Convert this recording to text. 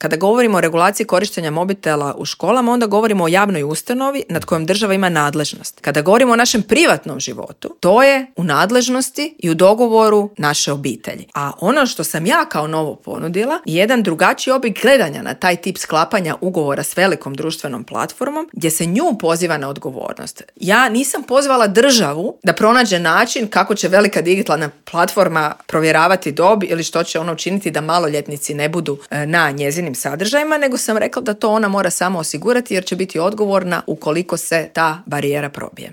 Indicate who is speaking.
Speaker 1: Kada govorimo o regulaciji korištenja mobitela u školama, onda govorimo o javnoj ustanovi nad kojom država ima nadležnost. Kada govorimo o našem privatnom životu, to je u nadležnosti i u dogovoru naše obitelji. A ono što sam ja kao novo ponudila je jedan drugačiji oblik gledanja na taj tip sklapanja ugovora s velikom društvenom platformom, gdje se nju poziva na odgovornost. Ja nisam pozvala državu da pronađe način kako će velika digitalna platforma provjeravati dob ili što će ona učiniti da maloljetnici ne budu na njezinim sadržajima, nego sam rekla da to ona mora samo osigurati jer će biti odgovorna ukoliko se ta barijera probije.